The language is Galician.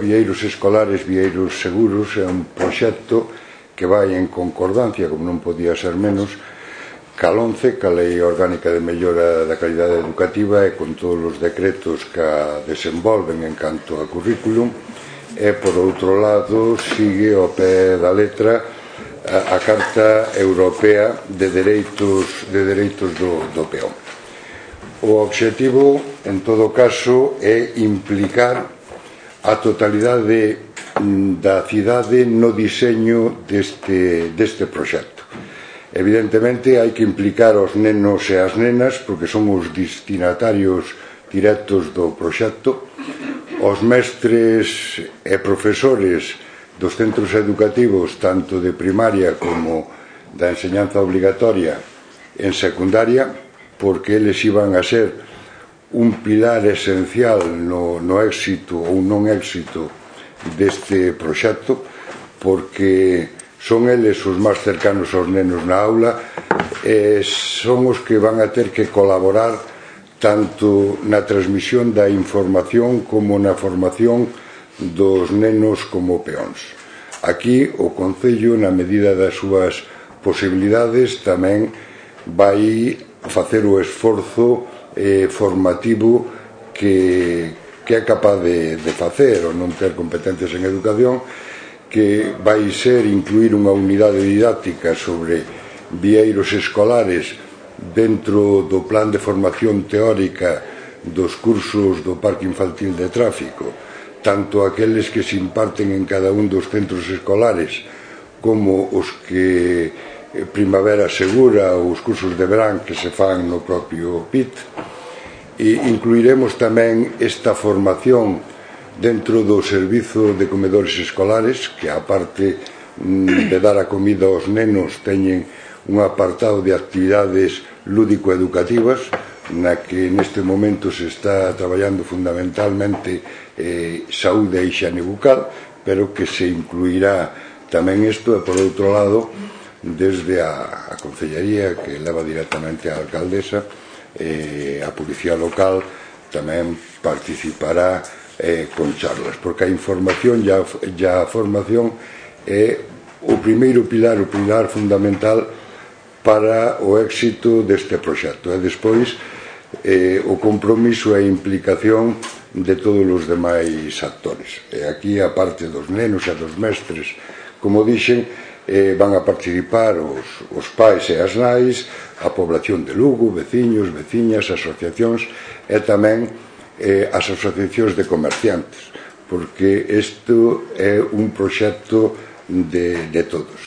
Vieiros escolares, vieiros seguros é un proxecto que vai en concordancia, como non podía ser menos, ca LOMCE, ca Lei Orgánica de Mellora da Calidade Educativa, e con todos os decretos que a desenvolven en canto a currículum, e, por outro lado, sigue ao pé da letra a Carta Europea de Dereitos do Peón. O obxectivo, en todo caso, é implicar a totalidade da cidade no diseño deste proxecto. Evidentemente, hai que implicar os nenos e as nenas, porque son os destinatarios directos do proxecto, os mestres e profesores dos centros educativos, tanto de primaria como da enseñanza obligatoria en secundaria, porque eles iban a ser un pilar esencial no éxito ou non éxito deste proxecto, porque son eles os máis cercanos aos nenos na aula e son os que van a ter que colaborar tanto na transmisión da información como na formación dos nenos como peóns. Aquí o Concello, na medida das súas posibilidades, tamén vai facer o esforzo formativo que é capaz de facer, ou non ter competencias en educación, que vai ser incluir unha unidade didáctica sobre vieiros escolares dentro do plan de formación teórica dos cursos do Parque Infantil de Tráfico, tanto aqueles que se imparten en cada un dos centros escolares como os que Primavera Segura ou os cursos de verán que se fan no propio PIT. E incluiremos tamén esta formación dentro do servizo de comedores escolares, que aparte de dar a comida aos nenos teñen un apartado de actividades lúdico-educativas na que neste momento se está traballando fundamentalmente saúde e hixiene bucal, pero que se incluirá tamén isto, e por outro lado desde a Concellería, que leva directamente a alcaldesa, a Policía Local tamén participará con charlas, porque a información e a formación é o primeiro pilar, o pilar fundamental para o éxito deste proxecto, e despois o compromiso e a implicación de todos os demais actores. E aquí, a parte dos nenos e dos mestres, como dixen, van a participar os pais e as nais, a población de Lugo, veciños, veciñas, asociacións e tamén as asociacións de comerciantes, porque isto é un proxecto de todos.